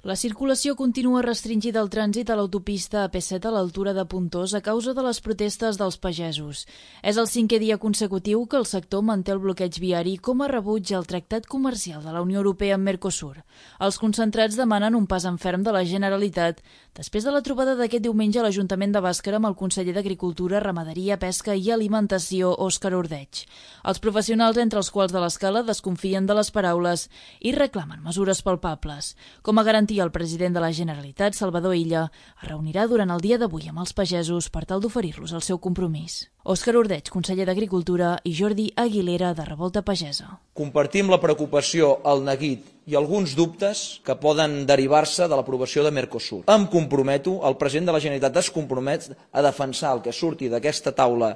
La circulació continua restringida al trànsit a l'autopista AP7 a l'altura de Pontós a causa de les protestes dels pagesos. És el 5è dia consecutiu que el sector manté el bloqueig viari com a rebuig al tractat comercial de la Unió Europea amb Mercosur. Els concentrats demanen un pas en ferm de la Generalitat després de la trobada d'aquest diumenge a l'Ajuntament de Bàscara amb el conseller d'Agricultura, Ramaderia, Pesca i Alimentació, Òscar Ordeig. Els professionals, entre els quals de l'Escala, desconfien de les paraules i reclamen mesures palpables. Com a garantia, el president de la Generalitat, Salvador Illa, es reunirà durant el dia d'avui amb els pagesos per tal d'oferir-los el seu compromís. Òscar Ordeig, conseller d'Agricultura, i Jordi Aguilera, de Revolta Pagesa. Compartim la preocupació, el neguit i alguns dubtes que poden derivar-se de l'aprovació de Mercosur. Em comprometo, el president de la Generalitat es compromet a defensar el que surti d'aquesta taula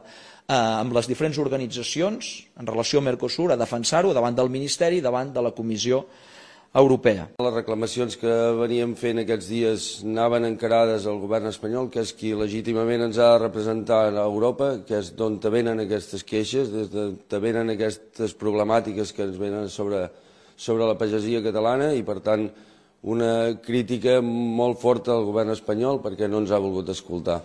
amb les diferents organitzacions en relació a Mercosur, a defensar-ho davant del Ministeri i davant de la Comissió Europea. Les reclamacions que veníem fent aquests dies anaven encarades al govern espanyol, que és qui legítimament ens ha de representar a Europa, que és d'on venen aquestes queixes, d'on venen aquestes problemàtiques que ens venen sobre la pagesia catalana i, per tant, una crítica molt forta al govern espanyol perquè no ens ha volgut escoltar.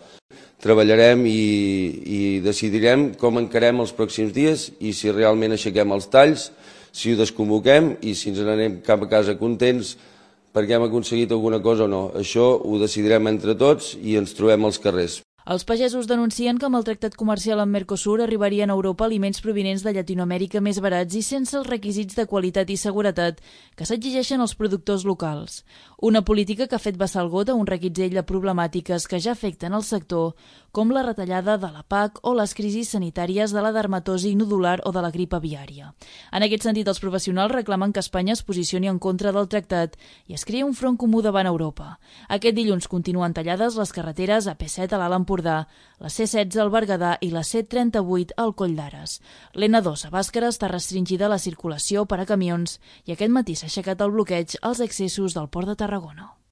Treballarem i decidirem com encarem els pròxims dies i si realment aixequem els talls, si ho desconvoquem i si ens n'anem cap a casa contents perquè hem aconseguit alguna cosa o no. Això ho decidirem entre tots i ens trobem als carrers. Els pagesos denuncien que amb el tractat comercial amb Mercosur arribarien a Europa aliments provinents de Llatinoamèrica més barats i sense els requisits de qualitat i seguretat que s'exigeixen als productors locals. Una política que ha fet vessar el got a un reguitzell de problemàtiques que ja afecten el sector, com la retallada de la PAC o les crisis sanitàries de la dermatosi nodular o de la grip aviària. En aquest sentit, els professionals reclamen que Espanya es posicioni en contra del tractat i es creï un front comú davant Europa. Aquest dilluns continuen tallades les carreteres AP7 a l'Alt Empordà, la C16 al Berguedà i la C38 al Coll d'Ares. L'N2 a Bàscara està restringida la circulació per a camions i aquest matí s'ha aixecat el bloqueig als accessos del Port de Tarragona.